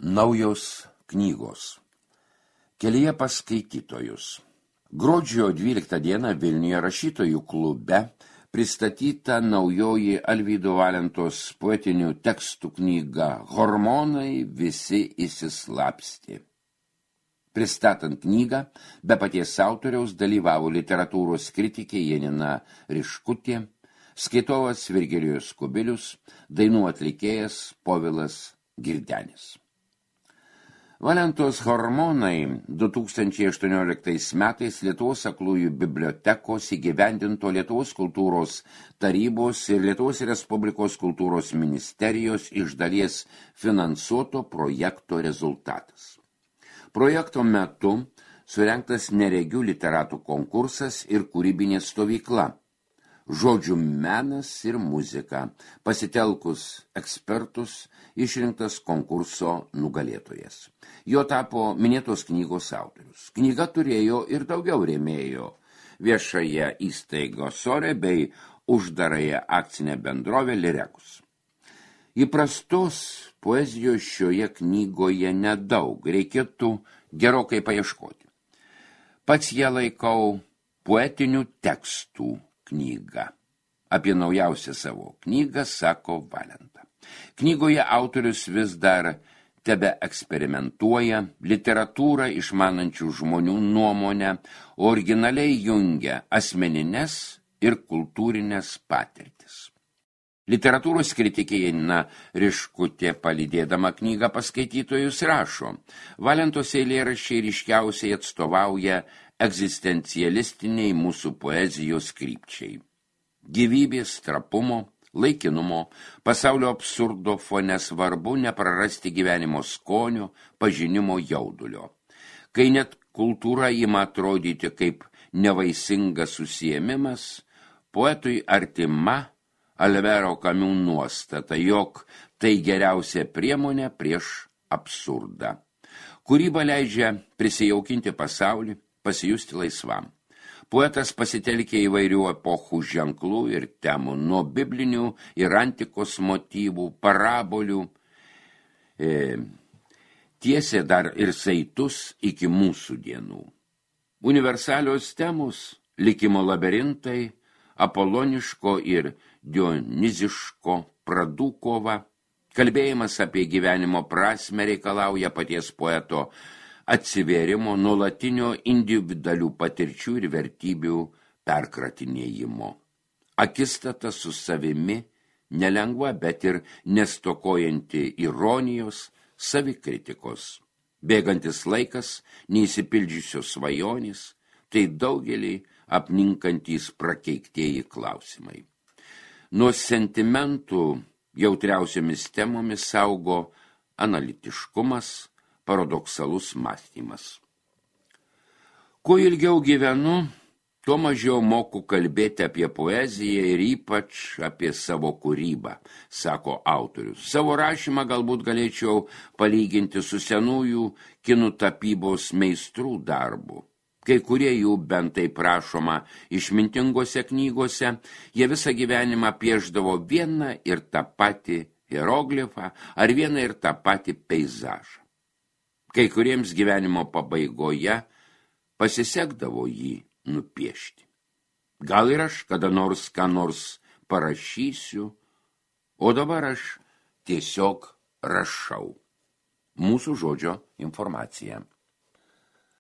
Naujos knygos. Kelyje pas skaitytojus. Gruodžio 12 dieną Vilniuje rašytojų klube pristatyta naujoji Alvydo Valentos poetinių tekstų knyga Hormonai visi įsislapstė. Pristatant knygą, be paties autoriaus dalyvavo literatūros kritikė Janina Riškutė, skaitovas Virgilijus Kubilius, dainų atlikėjas Povilas Girdenis. Valentos Hormonai 2018 metais Lietuvos aklųjų bibliotekos įgyvendinto Lietuvos kultūros tarybos ir Lietuvos Respublikos kultūros ministerijos iš dalies finansuoto projekto rezultatas. Projekto metu surengtas neregių literatų konkursas ir kūrybinė stovykla. Žodžių menas ir muzika, pasitelkus ekspertus, išrinktas konkurso nugalėtojas. Jo tapo minėtos knygos autorius. Knyga turėjo ir daugiau rėmėjų viešąją įstaigą Sore bei uždarąją akcinę bendrovę Lirekus. Įprastos poezijos šioje knygoje nedaug, reikėtų gerokai paieškoti. Pats ją laikau poetinių tekstų knygą. Apie naujausią savo knygą sako Valenta. Knygoje autorius vis dar tebe eksperimentuoja, literatūrą išmanančių žmonių nuomonę, originaliai jungia asmenines ir kultūrinės patirtis. Literatūros kritikė Janina Riškutė, palydėdama knygą paskaitytojus, rašo: Valentos eilėraščiai ryškiausiai atstovauja egzistencialistiniai mūsų poezijos krypčiai. Gyvybės, trapumo, laikinumo, pasaulio absurdo fone svarbu neprarasti gyvenimo skonio, pažinimo jaudulio. Kai net kultūra ima atrodyti kaip nevaisingas užsiėmimas, poetui artima Alvero Kamiu nuostata, jog tai geriausia priemonė prieš absurdą. Kūryba leidžia prisijaukinti pasaulį, pasijusti laisvam. Poetas pasitelkė įvairių epochų ženklų ir temų, nuo biblinių ir antikos motyvų, parabolių, tiesė dar ir saitus iki mūsų dienų. Universalios temos, likimo labirintai, apoloniško ir dioniziško pradų kova, kalbėjimas apie gyvenimo prasmę reikalauja paties poeto atsivėrimo, nuolatinio individualių patirčių ir vertybių perkratinėjimo. Akistata su savimi nelengva, bet ir nestokojanti ironijos, savikritikos. Bėgantis laikas, neįsipildžiusios svajonės, tai daugelį apninkantys prakeiktieji klausimai. Nuo sentimentų jautriausiomis temomis saugo analitiškumas, paradoksalus mąstymas. Kuo ilgiau gyvenu, tuo mažiau moku kalbėti apie poeziją ir ypač apie savo kūrybą, sako autorius. Savo rašymą galbūt galėčiau palyginti su senųjų kinų tapybos meistrų darbu. Kai kurie jų bent taip prašoma išmintingose knygose, jie visą gyvenimą piešdavo vieną ir tą patį hieroglifą ar vieną ir tą patį peizažą. Kai kuriems gyvenimo pabaigoje pasisekdavo jį nupiešti. Gal ir aš kada nors ką nors parašysiu, o dabar aš tiesiog rašau. Mūsų žodžio informacija.